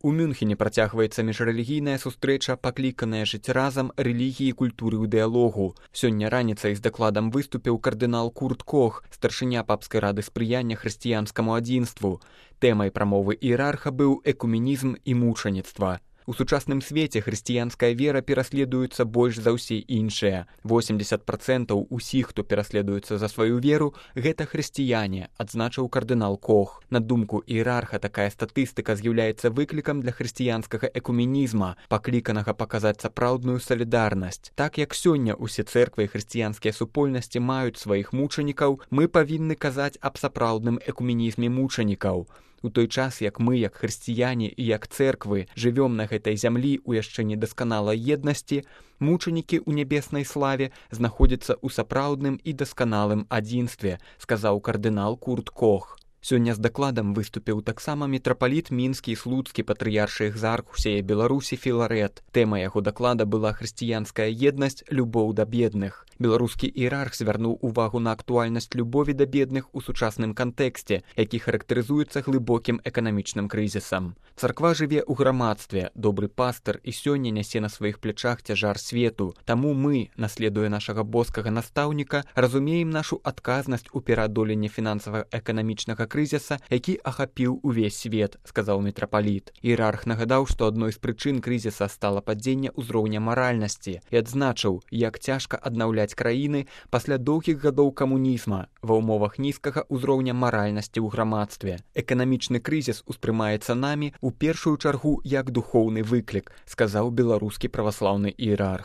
У Мюнхене працягваецца міжрэлігійная сустрэча, пакліканая жыць разам рэлігіі, культуры ў дыялогу. Сёння раніцай з дакладам выступіў кардынал Курт Кох, старшыня папскай рады спрыяння хрысціянскаму адзінству. Тэмай прамовы іерарха быў экуменізм і мучаніцтва. У сучасным свеце хрысціянская вера пераследуецца больш за ўсе іншыя. 80% усіх, хто пераследуецца за сваю веру, гэта хрысціяне, адзначыў кардынал Кох. На думку іерарха, такая статыстыка з'яўляецца выклікам для хрысціянскага экуменізма, пакліканага паказаць сапраўдную салідарнасць. Так як сёння ўсе цэрквы і хрысціянскія супольнасці маюць сваіх мучанікаў, мы павінны казаць аб сапраўдным экуменізме мучанікаў. У той час, як мы, як хрысціяне і як цэрквы, жывём на гэтай зямлі ў яшчэ недасканалай еднасці, мучанікі ў нябеснай славе знаходзяцца ў сапраўдным і дасканалым адзінстве, сказаў кардынал Курт Кох. Сёння з дакладам выступіў таксама мітрапаліт мінскі і слуцкі патрыяршы экзарх усей Беларусі Філарэт. Тэма яго даклада была хрысціянская еднасць, любоў да бедных. Беларускі іерарх звярнуў увагу на актуальнасць любові да бедных у сучасным кантэксце, які характарызуецца глыбокім эканамічным крызісам. Царква жыве ў грамадстве, добры пастыр і сёння нясе на сваіх плячах цяжар свету. Таму мы, наследуя нашага боскага настаўніка, разумеем нашу адказнасць у пераадоленні фінансава-эканамічнага крызіса, які ахапіў увесь свет, сказаў мітрапаліт. Іерарх нагадаў, што адной з прычын крызіса стала падзенне ўзроўня маральнасці і адзначыў, як цяжка аднаўляць краіны пасля доўгіх гадоў камунізма ва ўмовах нізкага ўзроўня маральнасці ў грамадстве. Эканамічны крызіс успрымаецца намі ў першую чаргу як духоўны выклік, сказаў беларускі праваслаўны іерарх.